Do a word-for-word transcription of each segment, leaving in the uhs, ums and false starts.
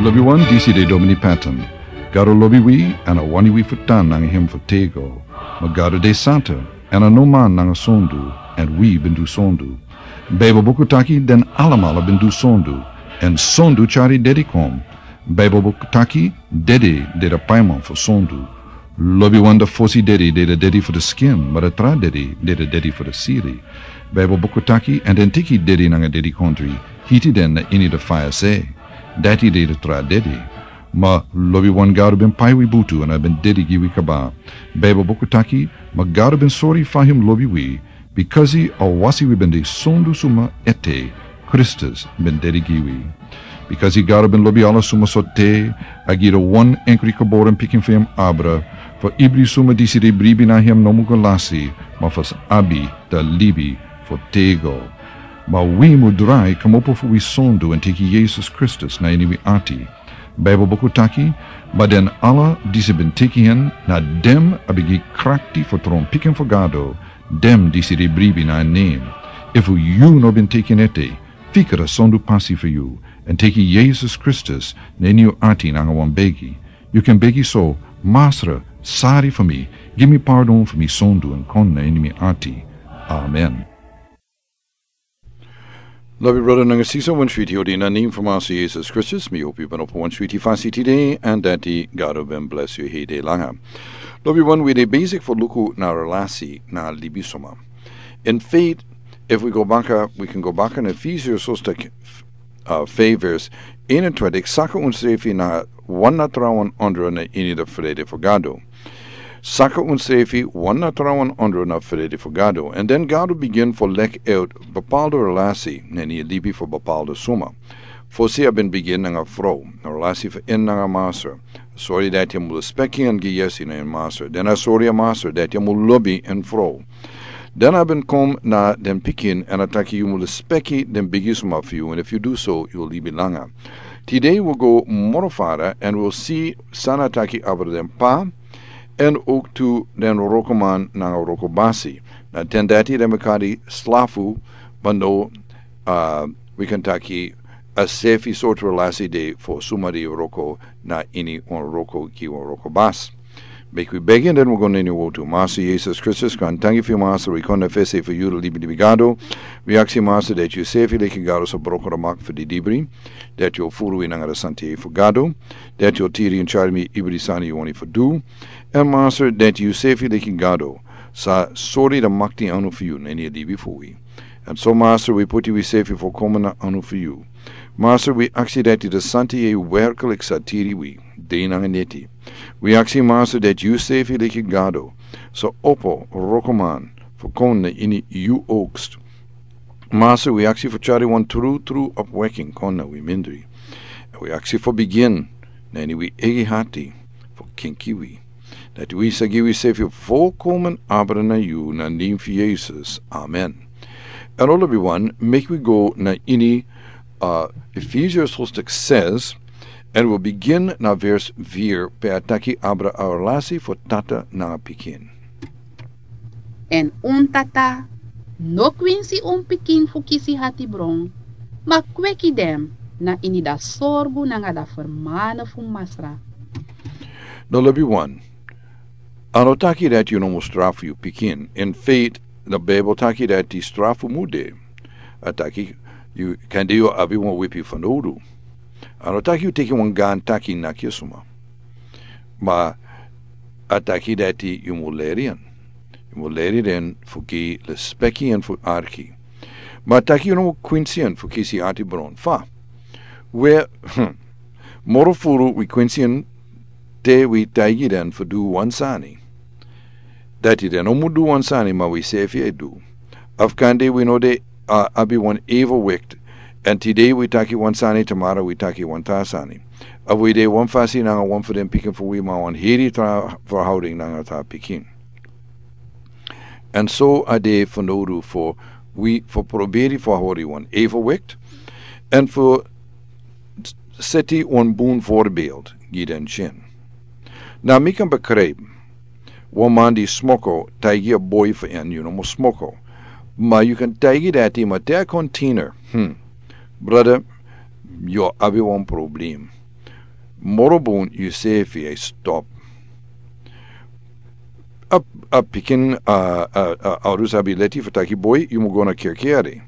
Lobiwan, disi de Domini Patton. Gado lobi wi, èn a wani wi fu tan nanga hem fu tego. Ma Gado de santa, èn a no man nanga sondu, èn wi ben du sondu. Baibel buku taki den alamala ben du sondu, èn sondu tyari dedi kon. Baibel buku taki dedi de da paiman fu sondu. Lobiwan, da fosi dedi de da dedi fu da skin, ma da tra dedi de da dedi fu da siri. Baibel buku taki, èn den teki dedi nanga dedikondri, hiti den na ini da faya se. Dati de da tra dedi. Ma lobiwan, Gado ben pai wi butu èn a ben dedi gi wi kaba. Baibel buku taki, ma Gado ben sori fa hem lobi wi, bikasi a wasi wi ben de sondu suma ete, Kristus ben dedi gi wi. Bikasi Gado ben lobi ala suma so te, a gi da wan enkri geboren pikin fu hem abra, fu ibri suma disi de bribi na hem no mu go lasi, ma fu sa abi da libi fu tego. Ma wi mu drai kmopo fu wi sondu èn teki Yesus Kristus na ini wi ati. Baibel buku taki, ma den ala disi ben teki hen, na den a ben gi krakti fu tron pikin fu Gado, den disi de bribi na en nen. Efu yu no ben teki en ete, fika da sondu pasi fu yu, èn teki Yesus Kristus na ini yu ati nanga wan begi. Yu kan begi so: Masra, sari fu mi, gi mi pardon fu mi sondu èn kon na ini mi ati. Amen. Lobi brada nanga sisa, wan switi odi na nen fu Masra Yesus Kristus, mi hopi yu ben opo wan switi fasi tide, èn dati Gado ben bless yu hede langa. Lobiwan, wi de besik fu luku na relasi na libisuma. In fact, efu wi go baka, wi kan go baka na Efesiërs hoofdstuk, uh, vijf vers eenentwintig, saka unsrefi na wan na trawan ondro na ini da frede fu Gado. Saka unsrefi wan na trawan ondro na frede fu Gado. Èn den Gado bigin fu leki out bepaalde relasi na ini libi fu bepaalde suma. Fosi a ben bigin nanga frow, na relasi fu en nanga Masra. Sori dati a mu lespeki èn gi yesi na en Masra. Den a sori a Masra dati a mu lobi en frow. Den a ben kon na den pikin èn a taki yu mu lespeki den bigisuma fu yu, èn efu yu du so, yu o libi langa. Tide wi o go moro fara èn wi o si san a taki abra den pa, èn ook tu den wrokoman nanga wrokobasi. Na ten dati den ben kari slafu, bando, uh, wi kan taki a sefi sortu relasi de fu suma di wroko na ini wan wroko gi wan wrokobasi. Meki wi begi èn den wi go na ini wortu. Masra Yesus Kristus, kon danki fu yu Masra, wi kon na fesi fu yu, libi libi Gado. Wi aksi Masra dati yu sefi leki Gado sa broko da makti fu didibri, dati yu o furu wi nanga da santa yeye fu Gado, dati yu o tiri èn tyari mi ibri sani yu wani fu du. Èn Masra dati yu sefi leki Gado sa sori da makti anu fu yu na ini libi fu wi. Èn so Masra wi poti wi sefi fu kon na anu fu yu. Masra wi aksi dati da santa yeye werklik sa tiri wi dei nanga neti. Wi aksi Masra dati yu sefi leki Gado sa opo wrokoman fu kon na ini yu oogst. Masra wi aksi fu tyari wan tru tru opweki kon na wi mindri. Èn wi aksi fu bigin na ini wi eigi hati fu kenki wi. Dati wi sa gi wi sefi volkomen abra na yu na nen fu Yesus. Amen. Èn lobiwan, meki wi go na ini, uh, Efesiërs hoofdstuk zes, èn wi o bigin na vers vier, pe a taki abra a relasi fu tata nanga pikin. Èn un tata no kwinsi un pikin fu kisi hatibron, ma kweki den na ini da sorgu nanga da fermane fu Masra. No, lobiwan, a no taki dati yu no mu strafu yu pikin. In fact, da Bijbel taki dati strafu mu de. A taki yu, kande yu abi wan wipi fanowdu. A no taki yu teki wan gaan taki naki a suma. Ma a taki dati yu mu leri en. Yu mu leri den fu gi lespeki èn fu arki. Ma a taki yu no mu kwinsi en fu kisi hatibron. Fa? We, moro furu wi kwinsi en te wi taigi den fu du wan sani. Dati den no mu du wan sani, ma wi sefi e du. Of kande wi no de, uh, abi wan evenwicht. Èn tide wi taki wan sani, tomorrow wi taki wan tra sani. Of wi de wan fasi nanga wan fu den pikin fu wi, ma wan heri tra verhouding nanga tra pikin. Èn so a de fanowdu fu wi fu proberi fu hori wan evenwicht. Èn fu seti wan bun voorbeeld gi den tyin. Na mi kan begrijp, wan man di smoko taigi a boi fu en, yu no mu smoko. Ma yu kan taigi dati, ma te a kon tiener, hmm, brada, yu abi wan probleem. Moro bun yu sefi e stop. A, a pikin, a, a, a, a rusa bi leti fu taki boi, yu mu go na kirki yari.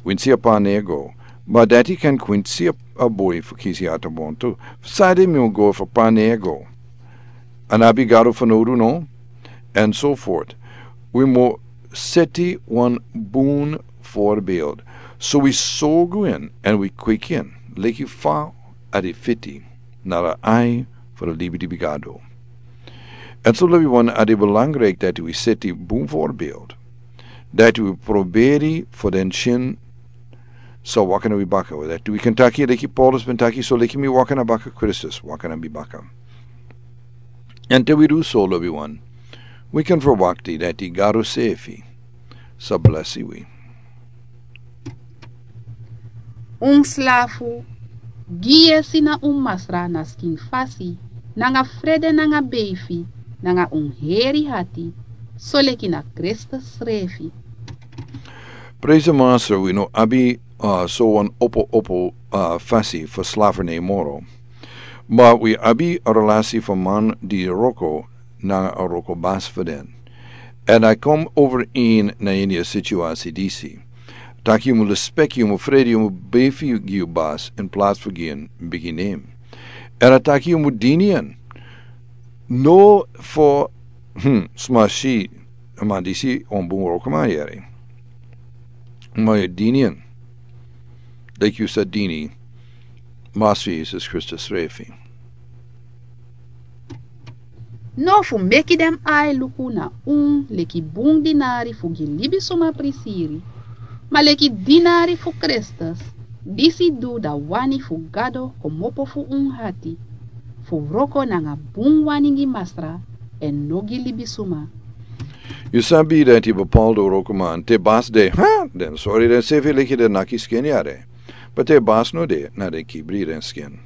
Winsi a pa nego. Ma dati kan kwinsi a, a boi fu kisi ata bon tu. Fu sade mi mu go fu pa nego. An abi garu fu nodu no. And so forth. Wi mu seti wan bun voorbeeld. So wi sogu in and wi quick in. Leki fa a di fiti. Nara ai for a libi di bigado. And so libi wan a di belangrijk dati wi seti bun voorbeeld. Dati wi proberi for den chin. So wakana wi baka. Dati wi kan taki leki Paulus ben taki so leki mi wakana baka Christus. Wakana mi baka. Ante wi du so lobi wan. Wi kan verwakti dati garu sefi. Sa blesi wi. Un slafu, gi yesi na un masra na skin fasi, nanga frede nanga beifi, nanga un heri hati, soleki na Kristus srefi. Praise the Master, wi no abi, uh, so wan opo opo, uh, fasi for slafu ne moro. Ma wi abi a relasi for man di roko na a roko bas for den. And I come over in na ini a situasi disi. Taki yu mu respect yu mu fredi yu mu befi yu bas in plaats for gin bigi name. And I taki yu mu dinian. No for, hmm, smashi, man disi on bun roko man yeri. Ma yu dinian. Like you said, dini. Master Jesus Christus refi. No fu meki den ai luku na un leki bun dinari fu gi libisuma prisiri. Ma leki dinari fu Kristus, disi du da wani fu Gado komopo fu un hati. Fu wroko nanga bun wani gi masra, èn no gi libisuma. Yu sabi dati bepaalde wrokoman te bas de, ha, den sori den sefi leki den naki skin yare. But te bas no de na den kibri den skin.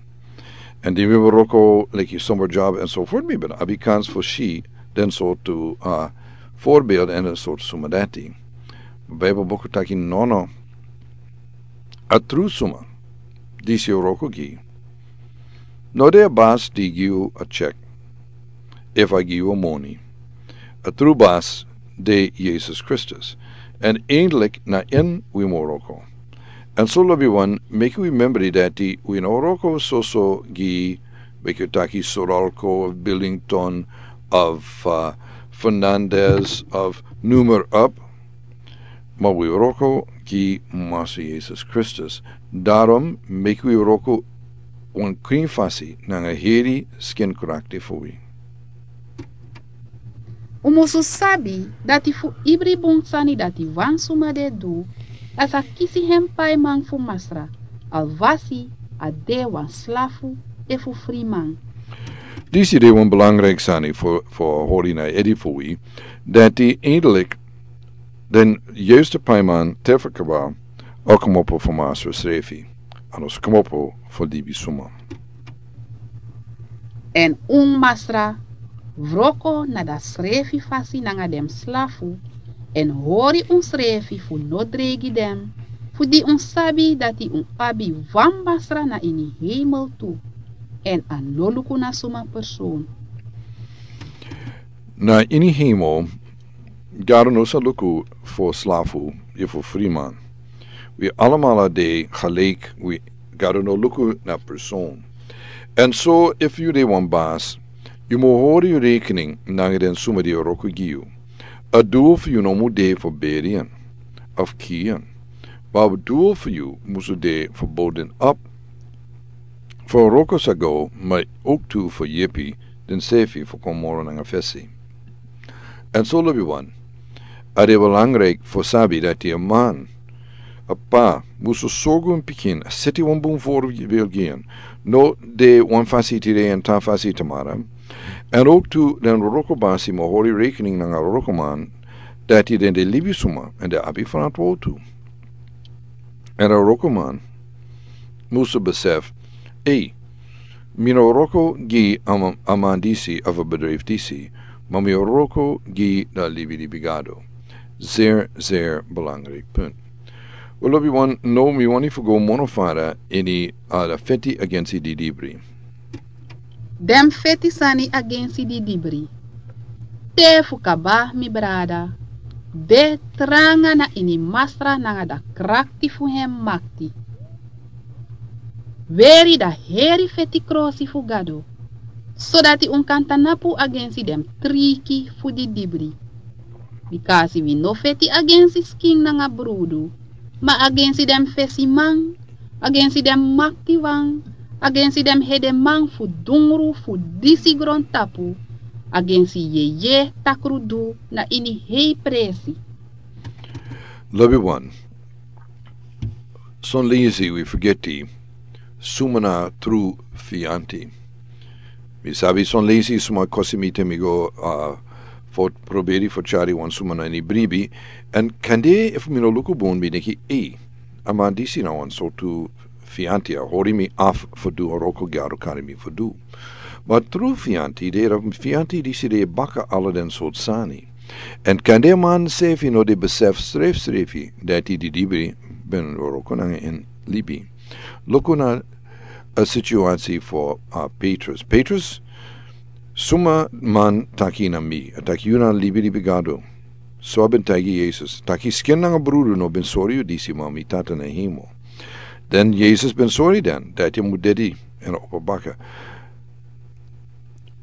En di mi ben wroko leki summer job en so voort, mi ben abi kans fu si den sortu, uh, voorbeeld en den sortu suma dati. Bijbel boku taki nono. A tru suma disi wroko gi. No de a bas di gi yu a check. Efu a gi yu a moni. A tru bas de Jesus Kristus. En eindelijk na en wi mu wroko. En so lobi wan, meki wi membri dati wi no wroko soso gi, meki wi taki Soralco of Billington of, uh, Fernandez of noem maar op. Ma wi wroko gi Master Jesus Kristus. Daarom meki wi wroko wan krin fasi nanga heri skin krakti fu wi. Un musu sabi dati fu ibri bun sani dati wan suma de du, a sa kisi hen paiman fu masra, alwasi a de wan slafu efu friman. Disi de wan belangrijk sani fu, fu hori na edi fu wi, dati eindelijk den juiste paiman tefakaba a komopo fu masra srefi. A no sa komopo fu libisuma. En un masra wroko na da srefi fasi nanga den slafu, en hori un srefi fu no dreigi den, fu di un sabi dati un abi wan masra na ini hemel tu, en a no luku na suma persoon. Na ini hemel, Gado no sa luku fu slafu efu friman. Wi alamala de gelijk, wi Gado no luku na persoon. En so efu yu de wan bas, yu mu hori yu rekening nanga den suma di wroko gi yu. A doel fu yu no mu de fu berian of kian. Ma a doel fu yu musu de fu bouw den op. Fu wroko sa go, ma ook tu fu yepi den sefi fu kon moro nanga fesi. En so lobi wan, a de belangrijk fu sabi dati a man, a pa, musu sorgu en pikin, a seti wan bun voorbeeld gi en. No de wan fasi tide en tra fasi tamara. En ook tu den wroko basi mu hori rekening nanga wroko man, dati den de libisuma, en de abi verantwoord tu. En a wrokoman musu besef, ei, mi no wroko gi a man, a man disi of a bedrijf disi, ma mi wroko gi da libi di bigado. Zeer, zeer belangrijk punt. Wel, lobi wan, no, mi wani fu go mono fara ini, uh, da feti agensi di dibri. Den feti sani agensi didibri. Te fu kaba, mi brada, de tranga na ini Masra nanga da krakti fu hen makti. Weri da heri feti krosi fu Gado, sodati un kan tanapu agensi den triki fu didibri. Bikasi wi no feti agensi skin nanga brudu, ma agensi den fesiman, agensi den maktiwan, agensi den hedeman fu dungru fu disi grontapu, agensi yeye takrudu na ini hei presi. Lobi wan, son leisi wi fergeti suma na tru fianti. Mi sabi son leisi suma kosi mi te mi go, ah, fo proberi fo tyari wan suma na ini bribi. Èn kande efu mi no luku bun mi denki, ei, a man disi na wan sortu fianti, a hori mi afu fu du a wroko Gado kari mi fu du. Ma tru fianti de, a fianti disi de baka ala den sortu sani. Èn kande a man sefi no de besef srefsrefi dati didibri ben wroko nanga en libi. Luku na a situasi fu, ah, Petrus. Petrus, suma man taki na mi, a taki yu na libilibi Gado. So a ben taigi Yesus, taki skin nanga brudu no ben sori yu disi, ma mi Tata na hemel. Den Yesus ben sori den dati a mu dedi èn opo baka.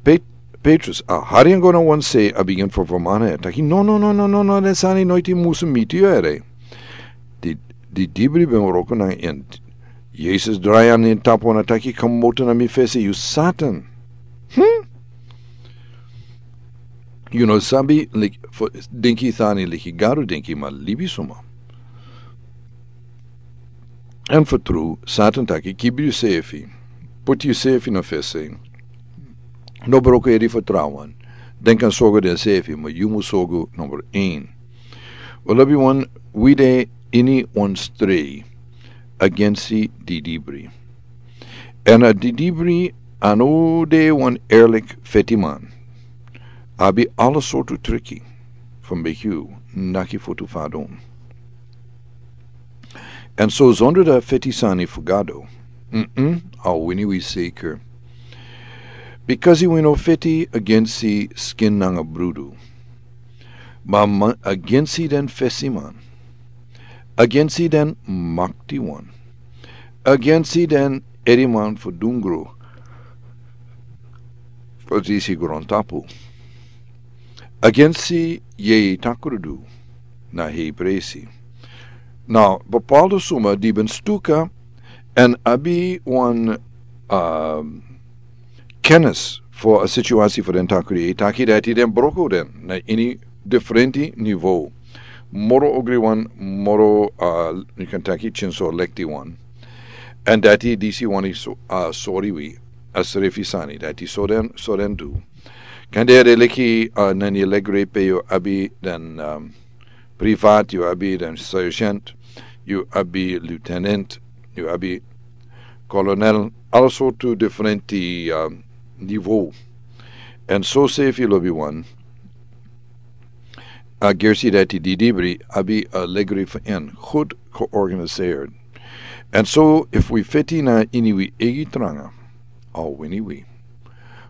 Pet-, Petrus a hari en go na wan se, a bigin fu fermana en, taki, no, no, no, no, no, no, den sani noiti musu miti yu ere. Di, didibri ben wroko nanga en. Yesus drai na en tapu èn a taki, komoto na mi fesi, yu Satan. Hmm? Yu no sabi, like, fu denki sani leki Gado denki, ma libisuma. Èn fu tru, Satan taki, kibri yusefi, poti yusefi na fesi. No broko eri fu trawan. Den kan sorgu densefi, ma yu mus sorgu number een. Wel, lobi wan, wi de ini wan strei agensi didibri. Èn a didibri a no de wan eerlik fetiman. A abi ala sortu triki fu meki yu naki futu fadon. Èn so zonder dati feti sani fu Gado, mm-mm, a o wini wi seker. Bikasi wi no feti agensi skin nanga brudu. Ma, ma agensi den fesiman, agensi den maktiwan, agensi den ediman fu dungru fu disi grontapu, agensi yeye takrudu na hei presi. Now, bepaalde suma di ben stuka èn abi wan, um, kennis fu a situasi fu den takri, e taki dati den broko den na ini diferenti nivo. Moro ogriwan, moro, uh, yu kan taki kinso lektiwan. Èn dati disi wani so, uh, sori wi a srefi sani dati so den, so den du. Kande a de leki, uh, nani legre pe yu abi den, um, privat, yu abi den sergeant, yu abi lieutenant, yu abi kolonel, ala sortu diferenti, um, nivo. Èn so sefi, lobi wan, a gersi dati didibri abi a legri fu en, goed georganiseerd. Èn so efu wi feti na ini wi eigi tranga, a o wini wi.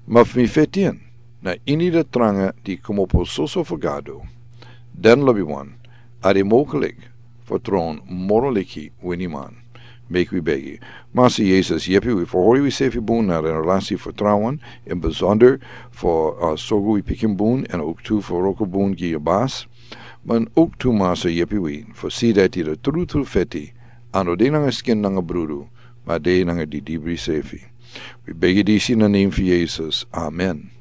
Ma efu mi feti en na ini den tranga di komopo soso fu Gado, den, lobi wan, a de mogelik fu tron moro leki winiman. Meki wi begi. Masa Yesus, yepi wi fu hori wisefi bun na den relasi fu trawan, in besonder fu, uh, sorgu wi pikin bun, èn ook tu fu wroko bun gi yu basi. Ma ook tu, Masa, yepi wi fu si dati den trutru feti a no de nanga skin nanga brudu, ma a de nanga didibri sefi. Wi begi disi na nen fu Yesus. Amen.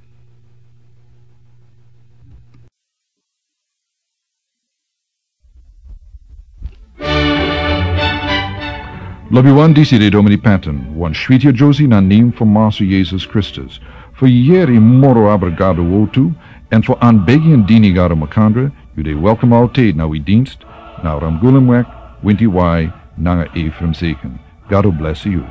Lobi wan, disi de Domini Patton, wan switi a Josie na nen fu Masa Yesus Kristus. Fu yeri moro abra Gado wortu, èn fu anbegi èn dini Gado makandra, yu de welkom altijd na wi dienst, na Ramgulemweg, Winti Wai, nanga Ephraim Zeken. Gado bless yu.